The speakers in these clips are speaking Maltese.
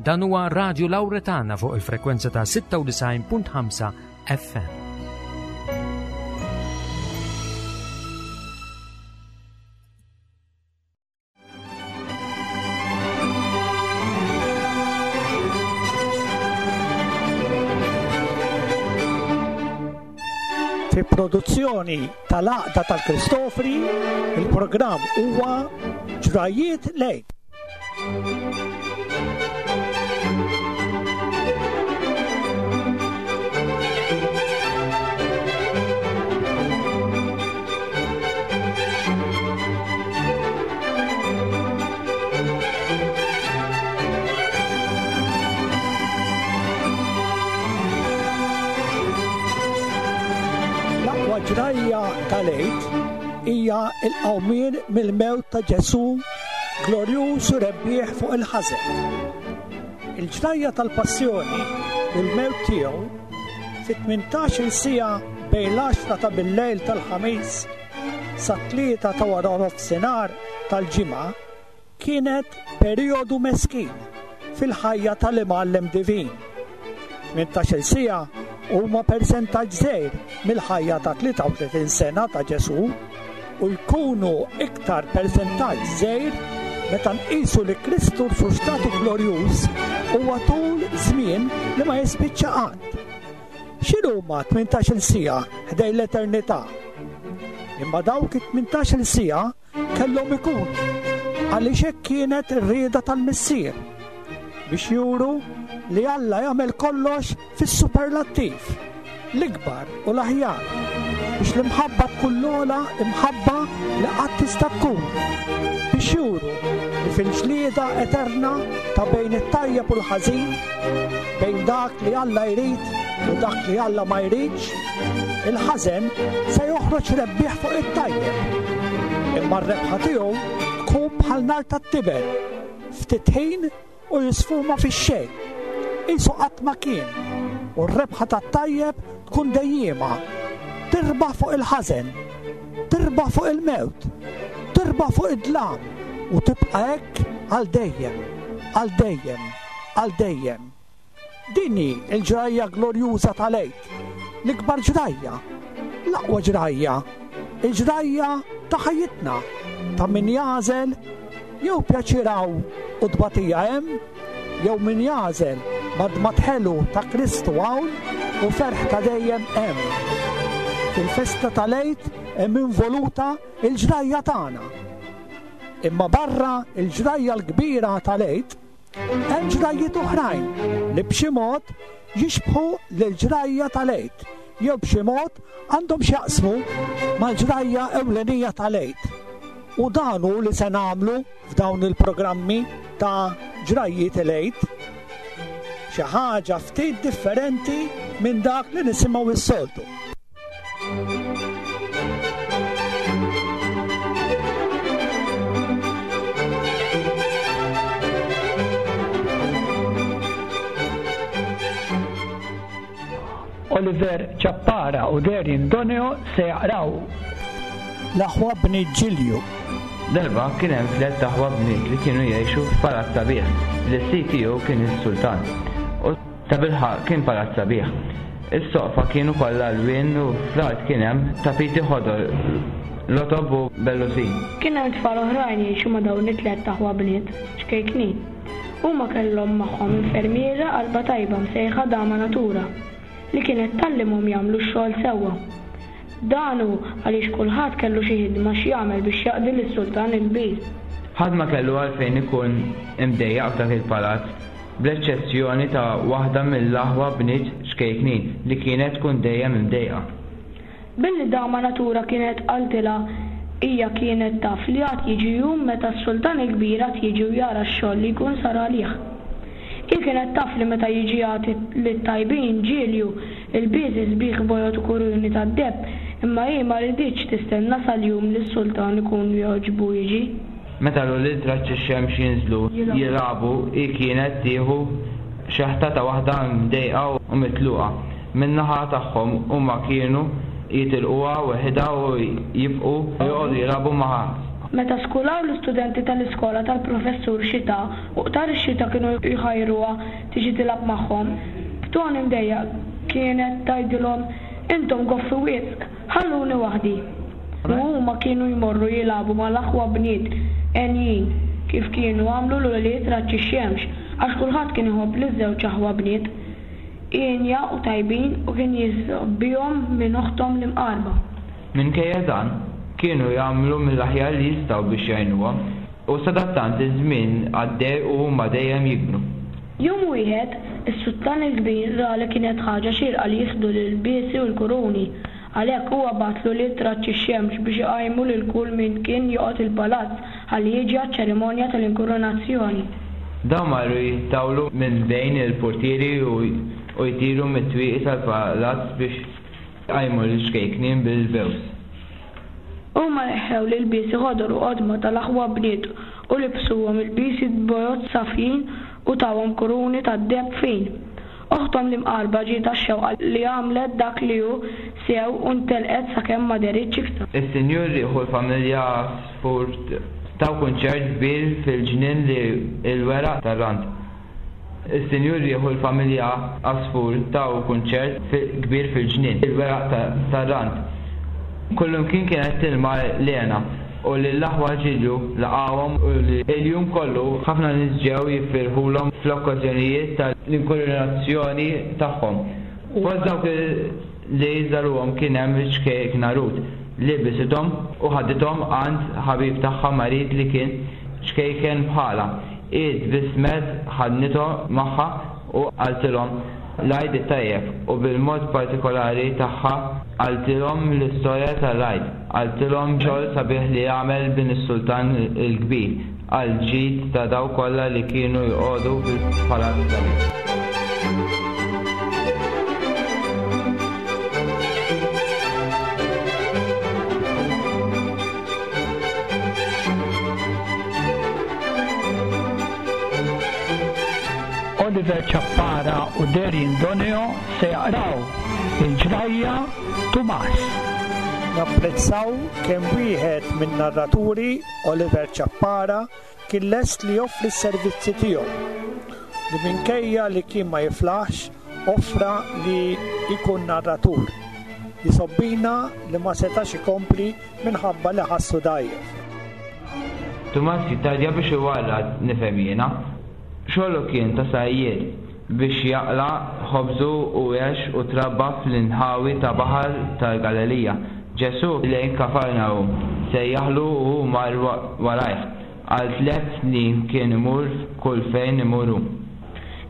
Dan huwa Radio Lauretana fuq il-frekwenza ta' 96.5 FM. Fi produzzjoni tal-Għaqda tal-Kristofri, il-programm huwa Ġrajiet Lejn. L-aqwa ġrajja tal-Għid hija l-qawmien mill-mewt ta' Ġesù glorjuż u rebbieħ fuq il-ħażen. Il-ġrajja tal-passjoni u l-mewt tiegħu fit-18-il siegħa bejn l-għaxra ta' bil-lejl tal-Ħamis sat-tlieta ta' waranofsinhar tal-Ġimgħa kienet perijodu meskin fil-ħajja tal-Imgħallem Divin. 18-il siegħa huma persentaġġ żgħir mill-ħajja ta' 33 sena ta' Ġesù u jkunu iktar persentaġġ żgħir meta nqisu li Kristu rxuxtatu glorjuż huwa tul żmien li ma jispiċċa qatt. X'inhuma 18-il siegħa ħdejn l-eternità? Imma dawk it-18-il siegħa kellhom ikunu, għaliex hekk kienet ir-rieda tal-Missier, biex juru li Alla jagħmel kollox fis-superlattiv, l-ikbar u l-aħjar, biex l-imħabba tkun l-ogħla imħabba li qatt tista' tkun, biex juru li fil-ġlieda eterna ta' bejn it-tajjeb u l-ħażin, bejn dak li Alla jrid u dak li Alla ma jridx, il-ħażen se joħroġ rebbieħ fuq it-tajjeb. Imma r-rebħa tiegħu tkun bħal nar tat-tiben, ftit ħin u jisfuma fix-xejn. Qisu qatt ma kien, u r-rebħa tat-tajjeb tkun dejjiema, tirbaħ fuq il-ħażen, tirbaħ fuq il-mewt, tirbaħ fuq id-dlam u tibqa' hekk għal dejjem, għal dejjem. Għal dejjem. Din hi l-ġrajja glorjuża tal-Għid, l-ikbar ġrajja, l-aqwa ġrajja, il-ġrajja ta' ħajjitna, ta' min jagħżel jew pjaċir hawn u tbatija hemm, jew min jagħżel madmad ħelu ta' Kristu hawn u ferħ ta' dejjem hemm. Fil-festa tal-Għid hemm involuta l-ġrajja tagħna. Imma barra l-ġrajja l-kbira tal-Għid, Hemm ġrajjiet oħrajn li b'xi mod jixbħu lill-ġrajja tal-Għid jew b'xi mod għandhom x'jaqsmu mal-ġrajja ewlenija tal-Għid. U dan hu li se nagħmlu f'dawn il-programmi ta' Ġrajjiet il-Għid. Xi ħaġa ftit differenti minn dak li nisimgħu s-soltu. Oliver Ciappara u Darian Doneo se jaqraw L-aħwa bniet Ġilju. Darba kien hemm tlett aħwa bniet li kienu jgħixu f'palazz sabiħ li s-sid tiegħu kien is-sultan. U Tabilħaqq kien palazz sabiħ. Is-soqfa kienu kollha lwien u fl-art kien hemm tapiti ħodor, rotob u bellusin. Kien hemm tfal oħrajn jgħixu ma' dawn it-tlett aħwa bniet, ċkejknin. Huma kellhom magħhom infermiera qalbha tajba msejħa Dama Natura, li kienet tgħallimhom jagħmlu x-xogħol sewwa. Dan hu għaliex kulħadd kellu xi ħidma x'jagħmel biex jaqdi lis-Sultan il-Kbir. Ħadd ma kellu għalfejn ikun imdejjaq f'dak il-palazz, bl-eċċezzjoni ta' waħda mill-aħwa bniet ċkejknin li kienet tkun dejjem imdejqa. Billi Dama Natura kienet qaltilha hija kienet taf li għad jiġi jum meta s-Sultan il-Kbir għad jiġi u jara x-xogħol li jkun sar għalih. Hi kienet taf li meta jiġi jagħti lit-tajbin ġilju, ilbiesi sbieħ bojod u kuruni tad-deheb, imma hi ma riditx tistenna sal-jum li s-sultan ikun jogħġbu jiġi. Meta l-ulied raġġ ix-xemx jinżlu jilagħbu hi kienet tieħu xeħta ta' waħda mdejqa u mitluqa. Min-naħa tagħhom huma kienu jitilquha weħidha u jibqgħu joqogħdu jilagħbu ma'. Meta skulaw l-istudenti tal-iskola tal-Professur Xita u qtar ix-xita kienu jħajruha tiġi tilgħab magħhom, b'ton imdejjaq kienet tgħidilhom, Intom goffi wisq, ħalluni waħdi. U huma kienu jmorru jilagħbu mal-aħwa bniet henjin, kif kienu għamlu l-ulied Raġġ ix-Xemx, għax kulħadd kien iħobb liż-żewġ aħwa bniet. Hienja u tajbin u kien jisgħobbihom minn oħthom l-imqarba. Minkejja dan, kienu jagħmlu mill-aħjar li jistgħu biex jgħinuhom, u sadattant iż-żmien għaddej u huma dejjem jikbru. Jum wieħed, is-Sultan il-Kbir ra li kienet ħaġa xierqa li jieħdu l-ilbiesi u l-kuruni. Għalhekk huwa bagħat l-ulied Raġġ ix-Xemx biex iqajmu lil kull min kien joqgħod il-palazz ħalli jiġi għaċ-ċerimonja tal-inkurunazzjoni. Dawn marru jittawlu minn bejn il-purtieri u jtiru mit-twieqi tal-palazz biex iqajmu lill-ċkejknin bil-bews. Huma neħħew l-ilbiesi ħodor u qodma tal-aħwa bniet u libsuhom ilbiesi bojod safjin u tawhom kuruni tad-deheb fin. Oħthom l-imqarba ġietha x-xewqa li għamlet dak li hu sew u ntelqet sakemm ma dehritx iktar. Is-Sinjur Riħ u l-familja Għasfur taw kunċert kbir fil-ġnien li l-weraq tar-rand. Is-Sinjur Riħ u l-familja Għasfur taw kunċert kbir fil-ġnien, il-weraq tar-rand. Kullimkien kienet tilma l-hena u lill-aħwa Ġilju laqgħuhom u l-jum kollu ħafna nies ġew jifirħulhom fl-okkażjonijiet tal-inkurunazzjoni tagħhom. Fost dawk li żaruhom kien hemm iċ-ċkejkna Rut, li bisithom u ħadithom għand ħabib tagħha marid li kien ċkejken bħalha. Hi tbissmet, ħadnithom magħha u qaltilhom l-Għid it-Tajjeb u bil-mod partikolari tagħha qaltilhom l-istorja tal-Għid. Qaltilhom xogħol sabiħ li għamel bin is-Sultan il-Kbir għall-ġid ta' dawk kollha li kienu joqogħdu fil-palazz sabiħ. Oliver Ciappara u Darian Doneo se jaqraw il-ġrajja Tumas. Napprezzaw kemm wieħed min-narraturi, Oliver Ciappara, kien lest li joffri s-servizzi tiegħu, li minkejja li kien ma jiflaħx offra li jkun narratur. Jisobbina li ma setax ikompli minħabba li ħassu dgħajjef. Tumas jittardja biex iwarrad, nifhem jiena. Xogħlu kien ta' sajjied, biex jaqla' ħobżu u għex u trabba fl-inħawi ta' baħar tal-Galilija. Ġesù lejn Kafarnahum, sejjaħlu u hu mar warajh. Għal tlett snin kien imur kull fejn imur hu.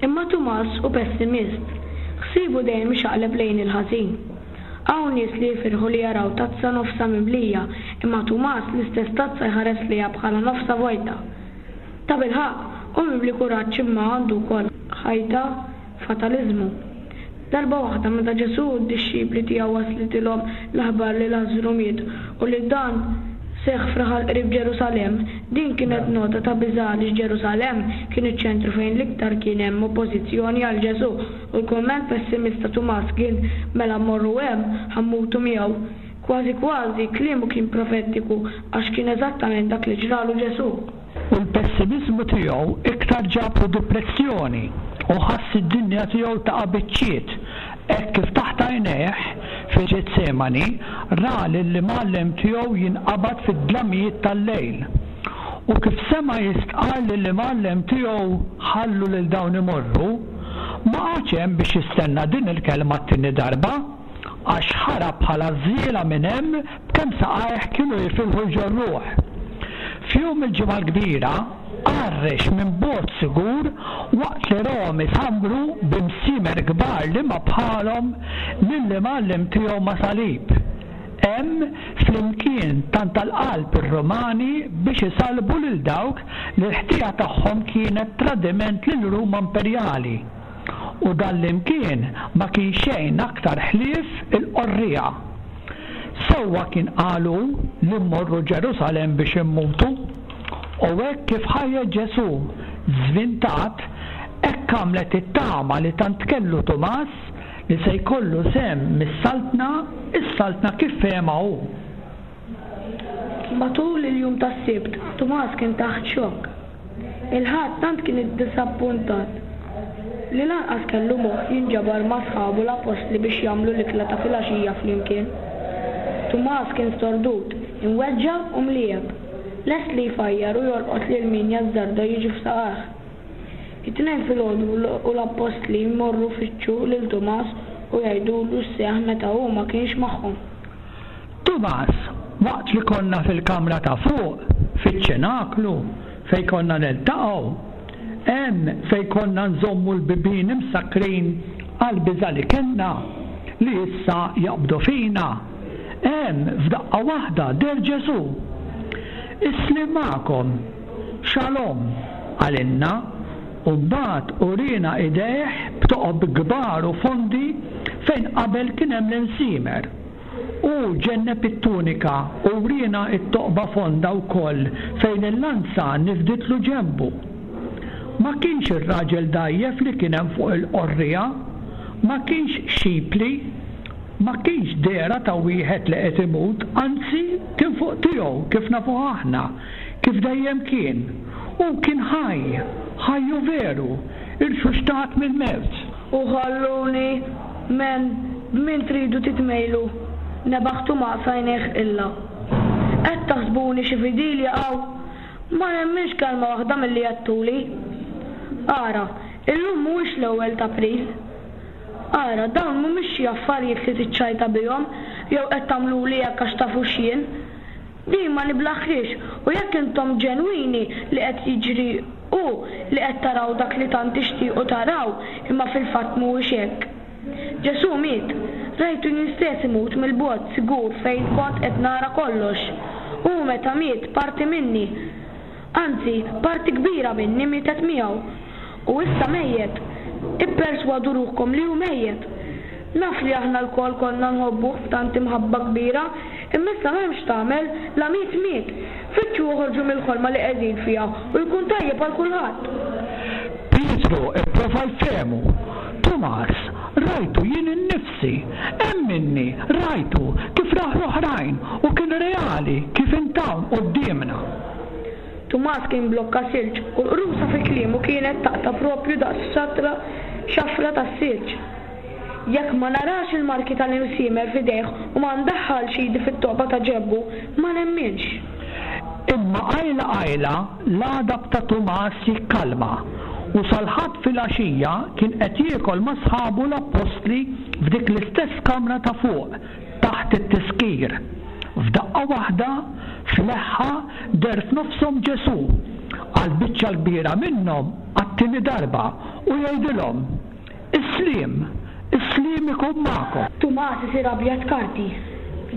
Imma Tumas hu pessimist. Ħsiebu dejjem ixaqleb lejn il-ħażin. Hawn nies li jifirħu li jaraw tazza nofsha mimlija, imma Tumas l-istess tazza jħares lejha bħala nofsha vojta. Tabilħaqq, hu mimli kuraġġ imma għandu wkoll ħajta fataliżmu. Darba waħda meta Ġesù u d-dixxipli tiegħu waslitilhom l-aħbar li Lażżru miet u li dan seħħ f'raħal qrib Ġerusalemm, din kienet nota ta' biża' għaliex Ġerusalemm kien iċ-ċentru fejn l-iktar kien hemm oppożizzjoni għal Ġesù U l-kumment pessimist ta' Tumas kien, Mela mmorru hemm, ħa mmutu miegħu. Kważi kważi, kliemu kien profetiku għax kien eżattament dak li ġralu Ġesù. U l-pessimiżmu tiegħu iktar ġablu dipressjoni u ħass id-dinja tiegħu taqa' biċċiet hekk kif taħt għajnejh, fil-Ġetsemani, ra lill-Imgħallem tiegħu jinqabad fid-dlamijiet tal-lejl. U kif sema' jistqarr lill-Imgħallem tiegħu ħallu lil dawn imorru, Ma qagħadx hemm biex jistenna din il-kelma t-tieni darba, għax ħarab bħal għażżiela minn hemm b'kemm saqajh kienu jifilħu jġorruh. F'jum il-Ġimgħa l-Kbira, għarrex minn bogħod sigur waqt li rahom isambru bi msiemer kbar li ma bħalhom lill-Imgħallem tiegħu ma' salib. Hemm, flimkien tant għall-qalb ir-Rumani biex isallbu lil dawk li l-ħtija tagħhom kienet tradiment lil Ruma imperjali. U dan l-imkien ma kien xejn aktar ħlief il-qorriegħa. Sewwa kien qal hu li mmorru Ġerusalemm biex immutu. U hekk kif ħajjet Ġesù żvintat, hekk għamlet it-tama li tant kellu Tumas li se jkollu sehem mis-Saltna, is-Saltna kif fehemha hu. Matul il-jum tas-Sibt, Tumas kien taħt xokk. Il-Ħadd tant kien iddisappuntat li lanqas kellu moħħ jinġabar ma' sħabu l-appostli biex jagħmlu l-ikla ta' filgħaxija flimkien. Tumas kien stordut, imweġġa' u mliegħeb, lest li jfajjar u jolqot lil min jazzarda jiġi f'saqajh. It-Tnejn filgħodu u l-appostli jmorru jfittxu lil Tumas u jgħidulu x'seħħ meta hu ma kienx magħhom. Tumas, waqt li konna fil-kamra ta' fuq, fiċ-ċenaklu, fejn konna niltaqgħu, hemm fejn konna nżommu l-bibien imsakkrin għall-biża' li kellna li issa jaqbdu fina, hemm f'daqqa waħda deher Ġesù. Is-sliem magħkom! Shalom! qalilna, u mbagħad uriena idejh b'toqob kbar u fondi fejn qabel kien hemm l-imsiemer. Hu ġenneb it-tunika u wriena t-toqba fonda wkoll fejn il-lanza nifditlu ġenbu. Ma kienx ir-raġel dgħajjef li kien hemm fuq il-qorriegħa, ma kienx xipli, ma kienx dehra ta' wieħed li qed imut, anzi kien fuq tiegħu kif nafuh aħna, kif dejjem kien. Hu kien ħaj, ħaj u veru, irxuxtat mill-mewt. U ħalluni, men, b'min tridu titmejlu? Nebaħ Tumas għajnejh qilla. Qed taħsbuni xi fidil jaqaw? Ma nemminx kelma waħda milli għedtuli. Ara, illum mhuwiex l-ewwel t'April. Ara, dawn mhumiex xi affarijiet li tiċċajta bihom jew qed tagħmluli hekk għax tafu x'jien. Din ma niblaħhiex u jekk intom ġenwini li qed jiġri hu li qed taraw dak li tant tixtiequ taraw imma fil-fatt mhuwiex hekk. Ġesù miet. Rajtu jien stess imut mill-bogħod sigur fejn kont qed nara kollox. Hu meta miet parti minni, anzi parti kbira minni mietet miegħu. U issa mejjet. Ipperswadu ruħkom li hu mejjet. Naf li aħna lkoll konna nħobbuh b'tant imħabba kbira, imma issa m'hemmx x'tagħmel, la miet miet. Fittxu oħorġu mill-ħolma li qegħdin fiha u jkun tajjeb għal kulħadd. Pietru pprova jfehmu, Tumas, rajtu jien innifsi, emminni, rajtu, kif rawh l-oħrajn, u kien reali, kif int hawn quddiemna. Tumas kien blokka silġ u l-qrusa fi kliemu kienet taqta' proprju daqs xatra xafra tas-silġ. Jekk ma narax il-marki tal-imsiemer f'idejh u ma ndaħħalx idi fit-toqba ta' ġenbu, ma nemminx. Imma qajla qajla l-għadab ta' Tumas jikkalma u sal-Ħadd filgħaxija kien qed jiekol ma' sħabu l-appostli f'dik l-istess kamra ta' fuq, taħt it-tiskir. F'daqqa waħda, f'leħħa, deher f'nofshom Ġesù, għall-biċċa l-kbira minnhom għat-tieni darba, u jgħidilhom, Is-sliem! Is-sliem ikun magħkom! Tumas isir abjad karti.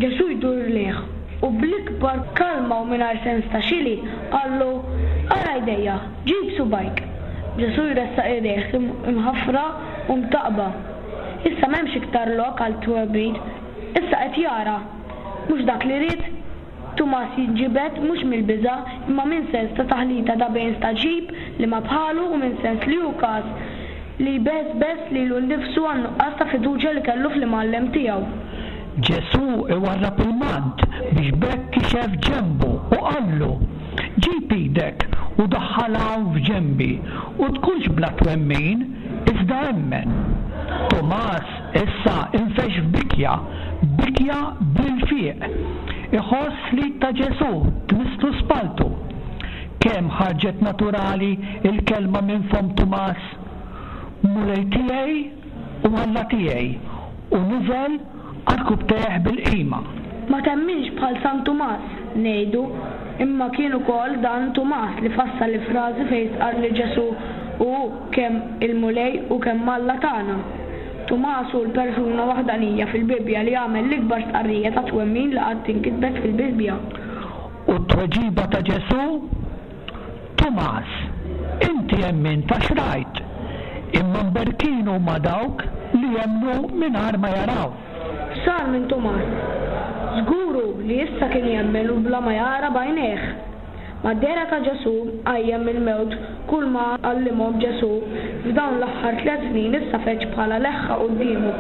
Ġesù jdur lejh u bl-ikbar kalma u mingħajr sens ta' xili qallu, Ara jdejja, ġib subgħajk. Ġesù jressaq idejh imħaffra u mtaqqba. Issa m'hemmx iktar lok għal twemmin. Issa qed jara. Mhux dak li ried? Tumas jinġibed mhux mill-biża' imma minn sens ta' taħlita ta' bejn stagħġib li ma bħalu u minn sens li hu każ li jbeżbeż lilu nnifsu għan-nuqqas ta' fiduċja li kellu fl-Imgħallem tiegħu. Ġesù iwarrab il-mant biex b'hekk kixef ġenbu u qallu, Ġib idek u daħħalha hawn f'ġenbi u tkunx bla twemmin, iżda emmen. Tumas issa infexx f'bikja, bikja bl-ilfiq. Iħoss l-id ta' Ġesù tmisslu spalltu. Kemm ħarġet naturali l-kelma minn fomm Tumas, Mulej tiegħi u Alla tiegħi, u niżel għarkupptejh bil-qima. Ma temminx bħal San Tumas, ngħidu, imma kien ukoll dan Tumas li fassal il-frażi fejn stqarr li Ġesù hu kemm il-Mulej u kemm Alla tagħna. Tumas hu l-persuna waħdanija fil-Bibbja li għamel l-ikbar stqarrija ta' twemmin li qatt inkitbet fil-Bibbja. U t-tweġiba ta' Ġesù? Tumas, inti emmint għax rajt, imma mberkin huma dawk li jemmnu mingħajr ma jaraw. X'sar minn Tumas? Żgur hu li issa kien jemmen u bla ma jara b'għajnejh. Mad-dehra ta' Ġesù mqajjem mill-mewt, kulma għallimhom Ġesù f'dawn l-aħħar tlett snin issa feġġ bħala leħħa quddiemu.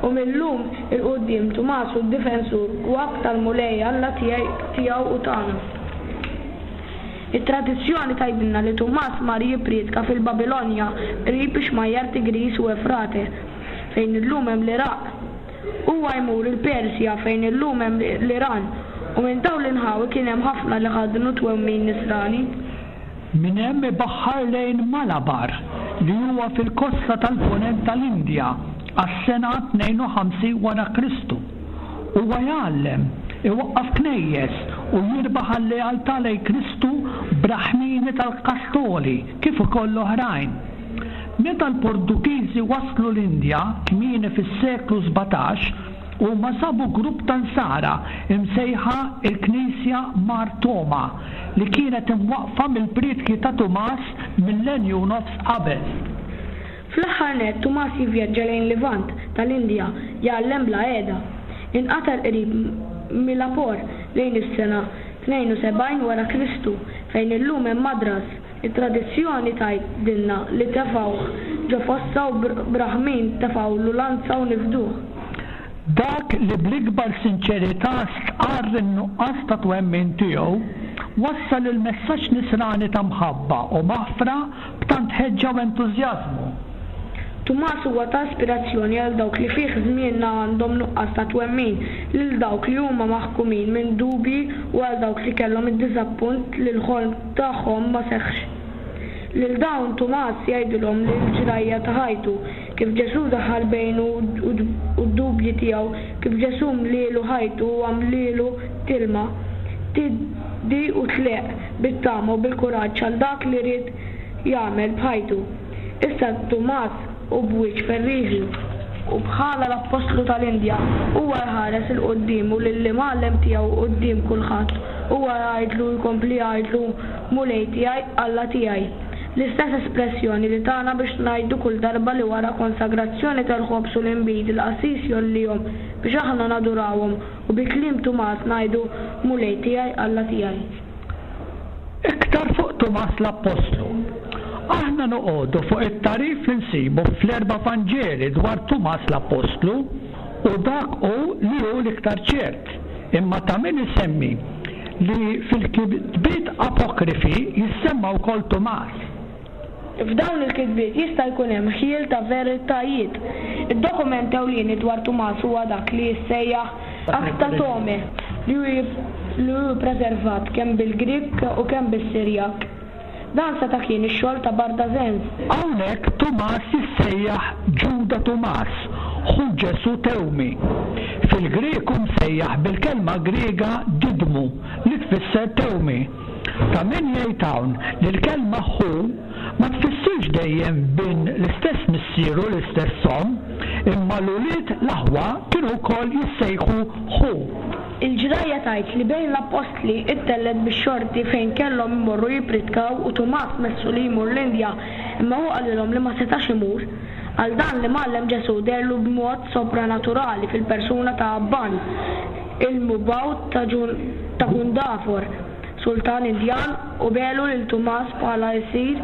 U mil-lum 'il quddiem Tumas hu d-difensur u ab tal-Mulej Alla tiegħi, tiegħu u tagħna. It-tradizzjoni tgħidilna li Tumas mar jipprietka fil-Babilonja qrib ix-xmajjar Tigris u Efrate, fejn illum hemm l-Iraq. Huwa jmur il-Persja fejn illum hemm l-Iran u minn dawn l-inħawi kien hemm ħafna li ħaddnu twemmin Nisrani. Minn hemm ibaħħar lejn Malabar, li huwa fil-kosta tal-Punent tal-Indja, għas-sena 52 wara Kristu. Huwa jgħallem, iwaqqaf knejjes u jirbaħ għal-lealtà lejn Kristu Brahmini tal-Kastoli kif ukoll oħrajn. Meta l-Portugiżi waslu l-Indja kmieni fis-seklu 17, huma sabu grupp ta' Nsara msejħa l-Knisja Mar Toma li kienet imwaqqfa mill-prietki ta' Tumas millenju u nofs qabel. Fl-aħħar nett Tumas jivvjaġġa lejn Levant tal-Indja jgħallem bla heda. Inqatel qrib Mylapore lejn is-sena 72 wara Kristu fejn illum hemm Madras. It-tradizzjoni tgħidilna li tefgħuh ġo fossa u Brahmin tefgħulu lanza u nifduh. Dak li bl-ikbar sinċerità stqarr in-nuqqas ta' twemmin tiegħu, wassal il-messaġġ Nisrani ta' mħabba u maħfra b'tant ħeġġa u entużjażmu. Tumas huwa ta' ispirazzjoni għal dawk li fih żmienna għandhom nuqqas ta' twemmin, lil dawk li huma maħkumin minn dubji u għal dawk li kellhom id-diżappunt li l-ħolm tagħhom ma seħħx. Lil dawn Tumas jgħidilhom li l-ġrajja ta' ħajtu, kif Ġesù daħal bejnu u d-dubji tiegħu, kif Ġesù mlielu ħajtu u għamlielu tilma, tiddi u tleqq bit-tama u bil-kuraġġ għal dak li ried jagħmel b'ħajtu. Issa Tumas hu b'wiċċ ferrieħi u bħala l-appostlu tal-Indja, huwa jħares 'il quddiem u lill-Imgħallem tiegħu quddiem kulħadd, huwa jgħidlu u jkompli jgħidlu, Mulej tiegħi, Alla tiegħi. L-istess espressjoni li tana biex ngħidu kull darba li wara konsagrazzjoni tal-ħobż u l-inbid il-qassis jgħollihom biex aħna nadurawhom u bi kliem Tumas ngħidu, Mulej tiegħi, Alla tiegħi. Iktar fuq Tumas l-Appostlu. Aħna noqogħdu fuq it-tagħrif li nsibu fl-erba' Vanġeli dwar Tumas l-Appostlu u dak hu li hu l-iktar ċert. Imma ta' min isemmi li fil-kitbiet apokrifi jissemma wkoll Tumas. F'dawn il-kitbiet jista' jkun hemm ħjiel ta' veritajiet. Id-dokument ewlieni dwar Tumas huwa dak li jissejjaħ Acta Thomae, li hu li hu ppreservat kemm bil-Grieg u kemm bis-Sirjak. Dan seta' kien ix-xogħol ta' Bardazens. Hawnhekk Tumas jissejjaħ Ġuda Tumas, ħu Ġesù Tewmi. Fil-Grieg hu msejjaħ bil-kelma Griega Didmu li tfisser tewmi. Ta' min jgħid hawn li l-kelma ħu ma tfissirx dejjem bin l-istess missier u l-istess omm, imma l-ulied l-aħwa kienu wkoll jissejħu ħu. Il-ġrajja tgħid li bejn l-appostli ttellgħet bix-xorti fejn kellhom imorru jippritkaw u Tumas messu li jmur l-Indja, imma hu qalilhom li ma setax imur. Għal dan l-Imgħallem Ġesù deherlu b'mod sopranaturali fil-persuna ta' Abban, il-mubgħut ta' ta' Gundafor, sultan Indjan, u begħlu lil Tumas bħala ilsir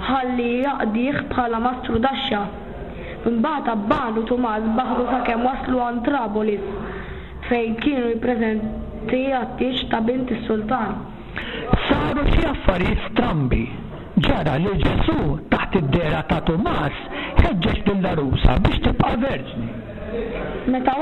ħalli jaqdih bħala mastrudaxxa. Imbagħad Abban u Tumas baħħru sakemm waslu għand Trabolis, fejn kienu jippreżenti għat-tieġ ta' bint is-sultan. Saru xi affarijiet strambi. Ġara li Ġesù, taħt id-dehra ta' Tumas, ħeġġeġ lill-għarusa biex tibqa' verġni. Meta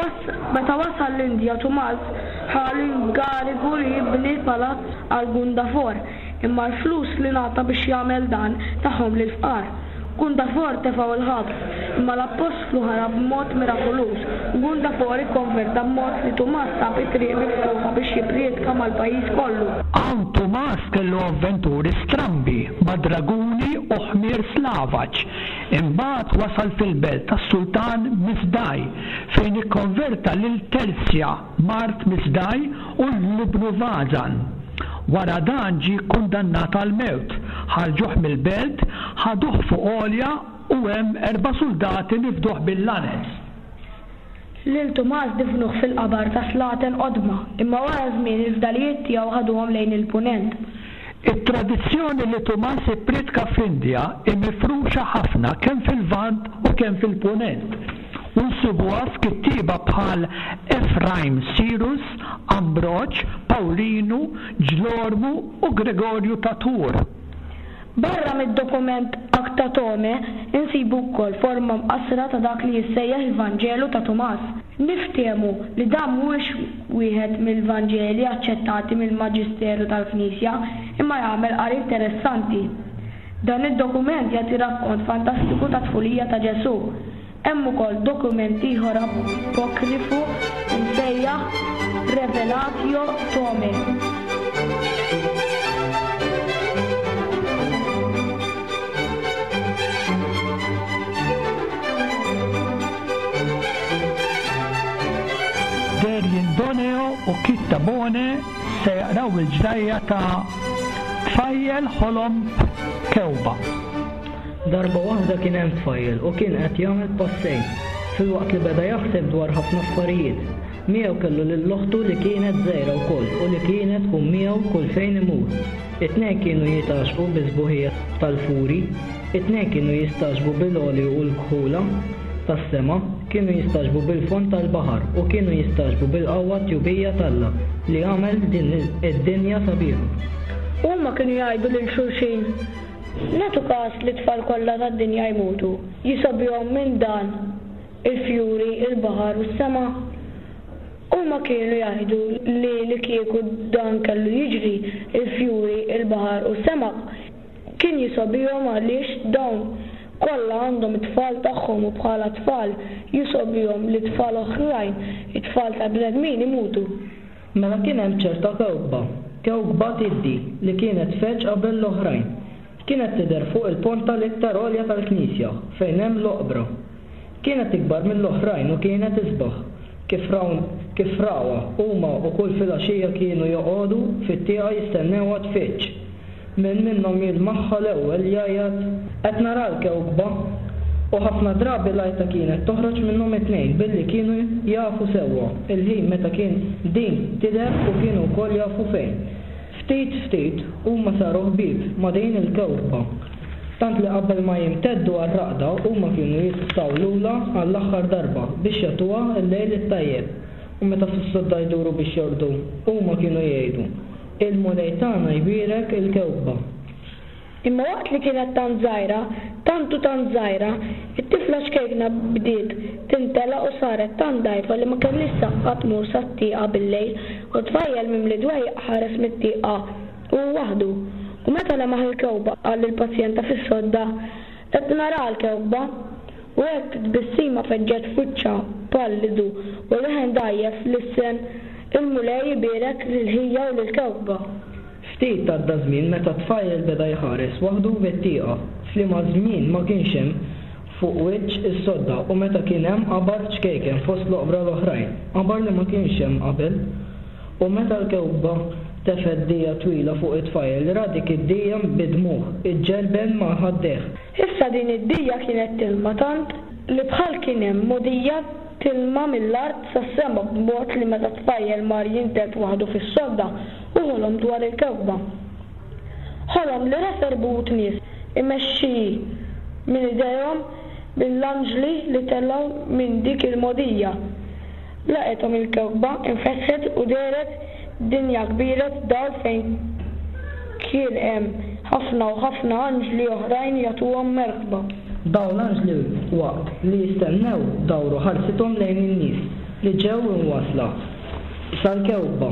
Meta wasal l-Indja Tumas ħa l-inkarigu li jibni palazz għal Gundafor, imma l-flus li ngħata biex jagħmel dan tahom lill-fqar. Gundafor tefgħu l-ħabs, imma l-appostlu ħarab b'mod mirakoluż u Gundafor ikkonverta b'mod li Tumas sab it-triq miftuħa biex jipprietka mal-pajjiż kollu. Hawn Tumas kellu avventuri strambi ma' draguni u ħmier slavaġ. Imbagħad wasal fil-belt tas-sultan Misdaj, fejn ikkonverta lil Terzja, mart Misdaj, u lil ibnu Vazan. Wara dan ġie kkundannat għall-mewt, ħarġuh mill-belt, ħaduh fuq għolja u hemm erba' suldati nifduh bil-lanez. Lil Tumas difnuh fil-qabar ta' slaten qodma, imma wara żmien il-fdalijiet tiegħu ħaduhom lejn il-Punent. It-tradizzjoni li Tumas ipprietka fl-Indja hi mifruxa ħafna kemm fil-Lvant u kemm fil-Punent. U nsibuha f'kittieba bħal Efraim Sirus, Ambroġ, Pawlinu, Ġlormu u Gregorju ta' Tours. Barra mid-dokument Acta Thomae insibu wkoll forma mqassra ta' dak li jissejjaħ il-Vanġelu ta' Tumas. Niftehmu li dan mhuwiex wieħed mill-Vanġeli aċċettati mill-Maġisteru tal-Knisja imma jagħmel qari interessanti. Dan id-dokument jagħti rakkont fantastiku tat-tfulija ta' Ġesù. Hemm ukoll dokument ieħor apokrifu msejjaħ Revelatio Thomae. Derjen Doneo u Kit Tabone se jaqraw il-ġrajja ta' Tfajjel ħolom b'kewba. Darba waħda kien hemm tfajjel u kien qed jagħmel passejn, filwaqt li beda jaħseb dwar ħafna affarijiet. Miegħu kellu lil oħtu li kienet żgħira wkoll u li kienet tkun miegħu kull fejn imur. It-tnejn kienu jitgħaxxqu bis-sbuħija tal-furi, it-tnejn kienu jistagħġbu bil-għoli u l-kħula tas-sema, kienu jistagħġbu bil-fond tal-baħar u kienu jistagħġbu bil-qawwa t-tjubija t'Alla li għamel din id-dinja sabiħa. Huma kienu jgħidu lil xulxin, Nagħtu każ li t-tfal kollha tad-dinja jmutu, jisgħobihom minn dan il-fjuri, il-baħar u s-sema? Huma kienu jgħidu li li kieku dan kellu jiġri, il-fjuri, il-baħar u s-sema kien jisgħobihom għaliex dawn kollha għandhom it-tfal tagħhom u bħala tfal jisgħobihom li tfal oħrajn, it-tfal tal-bnedmin imutu. Mela kien hemm ċerta kewkba, kewkba tiddi, li kienet tfeġġ qabel l-oħrajn. Kienet tidher fuq il-ponta l-iktar għolja tal-knisja, fejn hemm l-oqbra. Kienet ikbar mill-oħrajn u kienet isbaħ. Kif raw, kif rawha, huma u kull filgħaxija kienu joqogħdu fit-tieqa jistennewha tfiġġ. Min minnhom jilmaħha l-ewwel jgħajjat, Qed nara l-kewkba! U ħafna drabi l-għajta kienet toħroġ minnhom it-tnejn billi kienu jafu sewwa l-ħin meta kien din tidher u kienu wkoll jafu fejn. Ftit ftit huma saru ħbieb ma' din il-kewkba. Tant li qabel ma jimteddu għar-raqda huma kienu jitawlulha għall-aħħar darba biex jagħtuha l-lejl it-tajjeb. U meta fis-sodda jduru biex jorqdu huma kienu jgħidu, Il-Mulej tagħna jbierek il-kewkba. Imma waqt li kienet tant żgħira, tant u tant żgħira, it-tifla ċkejkna bdiet timtela u saret tant dgħajfa li ma kellhiex saħħa tmur sat-tieqa bil-lejl u t-tfajjel mimli dwejjaq ħares mit-tieqa hu waħdu. U meta lemaħ il-kewkba qal lill-pazjenta fis-sodda, Qed naraha l-kewkba. U hekk tbissima feġġet f'wiċċha pallidu u leħen dgħajjef lissen, Il-Mulej ibierek lil ħija u lill-kewkba. Ftit għadda żmien meta t-tfajjel beda jħares waħdu mit-tieqa, f'liema żmien ma kienx hemm fuq wiċċ is-sodda u meta kien hemm qabar ċkejken fost l-oqbra l-oħrajn, qabar li ma kienx hemm qabel. U meta l-kewkba tefgħet dija twila fuq it-tfajjel, ra dik id-dija bid-dmugħ iġġelben ma' ħaddejh. Issa din id-dija kienet tilma tant li bħal kien hemm mogħdija tilma mill-art sas-sema b'mod li meta t-tfajjel mar jintet waħdu fis-sodda hu ħolom dwar il-kewkba. Ħolom li ra serbut nies imexxi minn idejhom mill-anġli li telgħu minn dik il-mogħdija. Laqgħethom il-kewkba, infetħet u dehret dinja kbira t'dawl fejn kien hemm ħafna u ħafna anġli oħrajn jagħtuhom merħba. Dawn l-anġli waqt li jistennew dawru ħarsithom lejn in-nies li ġew imwassla sal-kewkba,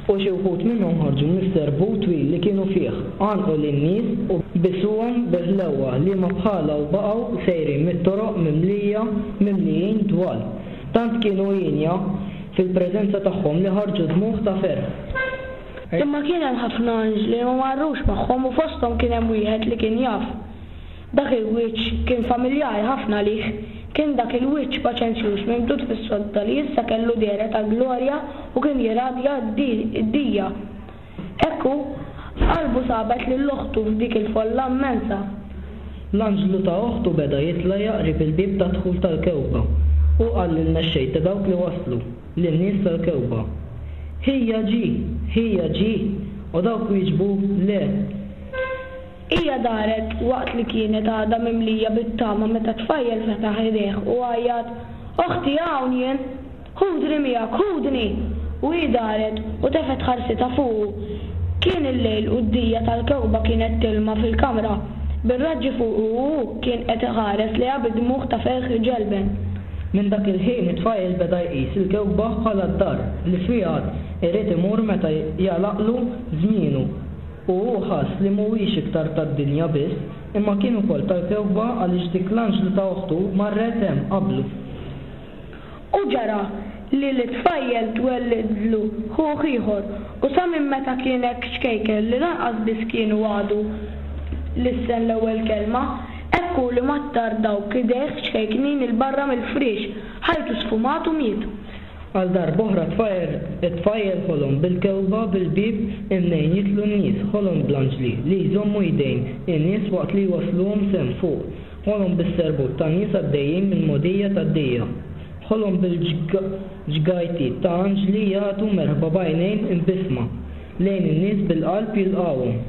u xi wħud minnhom ħarġu mis-serbut twil li kienu fih, għannqu lin-nies u bisuhom bi ħlewwa liema bħalha u baqgħu sejrin mit-toroq mimlija mimlijin dwal. Tant kienu hienja fil-preżenza tagħhom li ħarġu dmugħ ta' ferħ. Imma kien hemm ħafna anġli li ma marrux magħhom u fosthom kien hemm wieħed li kien jaf. Dak il-wiċċ kien familjari ħafna għalih. Kien dak il-wiċċ paċenzjuż mimdud fis-sodda li issa kellu dehra ta' glorja u kien jirradja d-dija. Hekk hu, qalbu sabet lil oħtu f'dik il-folla immensa. L-anġlu ta' oħtu beda jitla' qrib il-bieb tad-dħul tal-kewkba. Hu qal lill-mexxej ta' dawk li waslu, lin-nies tal-kewkba, Ħija ġie! Ħija ġie! U dawk wieġbu, Le! Hija daret waqt li kienet għadha mimlija bit-tama meta t-tfajjel fetaħ idejh u għajjat, Oħti hawn jien! Ħudni miegħek, ħudni! U hi daret u tefgħet ħarsitha fuqu. Kien il-lejl u d-dija tal-kewkba kienet tilma fil-kamra bir-raġġi fuqu u hu kien qed iħares lejha bi dmugħ ta' ferħ iġelben. Minn dak il-ħin it-tfajjel beda jqis il-kewkba bħala d-dar li fiha irid imur meta jagħlaqlu żmienu u hu ħass li mhuwiex iktar tad-dinja biss imma kien ukoll tal-kewkba għaliex dik l-anġlu ta' oħtu marret hemm qablu. U ġara li lit-tfajjel twellidlu ħuh ieħor, u sa minn meta kien hekk ċkejken li lanqas biss kienu għadu lissen l-ewwel kelma, hekk hu li mattar dawk idejh ċkejknin 'il barra mill-friex, ħajtu sfumat u miet. Għal darb'oħra t-tfajjel ħolom bil-kewkba bil-bieb imnejn jidħlu n-nies, ħolom bl-anġli li jżommu jdejn in-nies waqt li jwassluhom s'hemm fuq, Ħolom bis-serbut ta' nies għaddejjin mill-mogħdija tad-dija. Ħolom bil-ġgajtiet ta' anġli jagħtu merħba b'għajnejn imbissma lejn in-nies bil-qalb jilqgħuhom.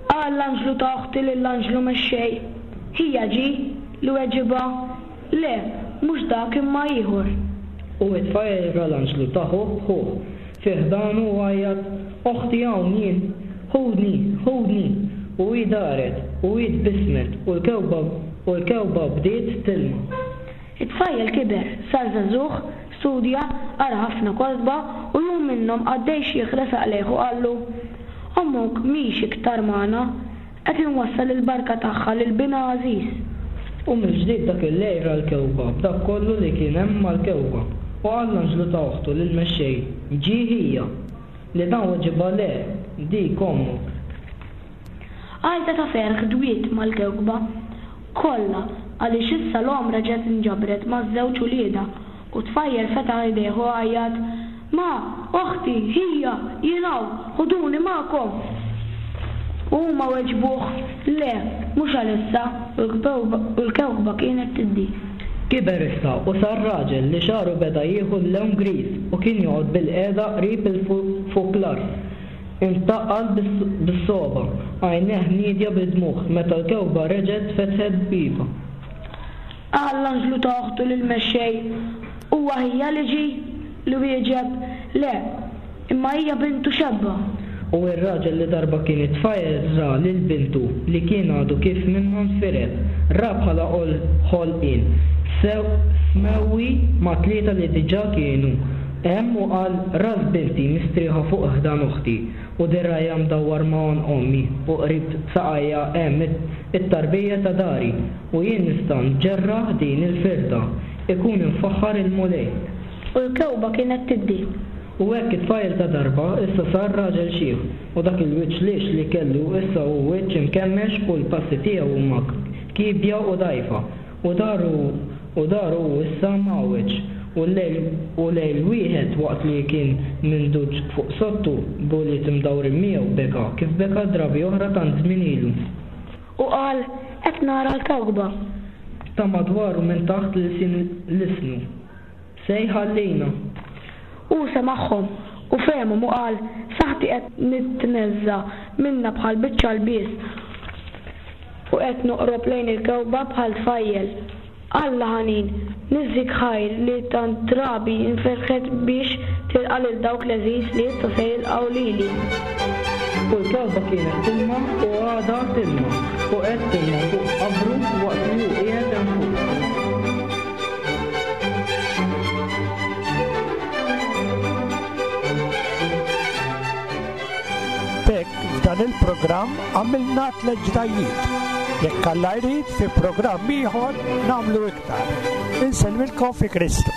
Qal l-anġlu ta' oħti lill-anġlu mexxej, Ħija ġie? Li weġibha, Le, mhux dak imma ieħor. U t-tfajjel ra l-anġlu ta' ħuh b'ħuh fi ħdanu u għajjat, Oħti hawn jien! Ħudni! Ħudni! U hi daret, u hi tbissmet, u l-kewkba u l-kewkba bdiet tilma. It-tfajjel kiber, sar żagħżugħ, studja, qara ħafna kotba, u jum minnhom qaddej xiħ resaq lejh u qallu, Ommok mhix iktar magħna, qed inwassal il-barka tagħha lil binha għażiż. U mill-ġdid dak il-lejl ra l-kewkba b'dak kollu li kien hemm mal-kewkba, u qal l-anġlu ta' oħtu lill-mexxej, Ġie ħija. Li dan weġibha le, dik ommok. Għajta ta' ferħ dwiet mal-kewkba kollha għaliex issa l-omm reġgħet inġabret maż-żewġ uliedha u t-tfajjel fetaħ idejh u għajjat, Ma, oħti, ħija, jien hawn, ħuduni magħkom! U huma weġbuh, Le, mhux għalissa, u l-kewkba kienet tiddi. Kiber issa u sar raġel li xagħru beda jieħu l-lewn griż u kien joqgħod bilqiegħda qrib il-fuklar imtaqqal bis-sogħba, għajnejh niedja bid-dmugħ meta l-kewkba reġgħet fetħet biebha. Qal l-anġlu ta' oħtu lill-mexxej, Huwa ħija li ġie? Li wieġeb, Le, imma hija bintu xebba. U r-raġel li darba kien it-tfajjel ra lil bintu li kien għadu kif minnha nfired, ra bħala ħolqien smewwi ma' tlieta li diġà kienu hemm u qal, Ras binti mistrieħa fuq ħdan oħti, u dirgħajha mdawwar ma' għonq ommi, u qrib saqajja hemm it-tarbija ta' dari, u jien nista' nġerraħ din il-firda. Ikun imfaħħar il-Mulej. U l-kewkba kienet tiddi. U hekk it-tfajjel ta' darba issa sar raġel xiħ, u dak il-wiċċ lixx li kellu issa hu wiċċ imkemmex u l-passi tiegħu huma kiebja u dgħajfa, u daru u daru hu issa mgħawweġ, u l-lejl u lejl wieħed waqt li kien minduġ fuq soddtu b'ulied imdawrin miegħu beka kif beka drabi oħra tant żmien ilu. U qal, Qed nara l-kewkba. Ta' madwaru minn taħt l-ilsien lisnu. Se jħallina. Hu semagħhom, u fehemhom u qal, Saħħti qed nitneżża' minnha bħal biċċa lbies, u qed noqrob lejn il-kewkba bħal tfajjel. Alla ħanin, niżżik ħajr li tant drabi nfetħet biex tilqa' lil dawk l-għeżież li issa se jilqgħu lili. U l-kewkba kienet tilma u għadha tilma, u qed tilma fuq qabru waqt li hu qiegħed hemm fuq. B'hekk f'dan il-programm għamilna tlett ġrajjiet. Jekk Alla jrid fi programm ieħor nagħmlu iktar. Insellmilkom fi Kristu.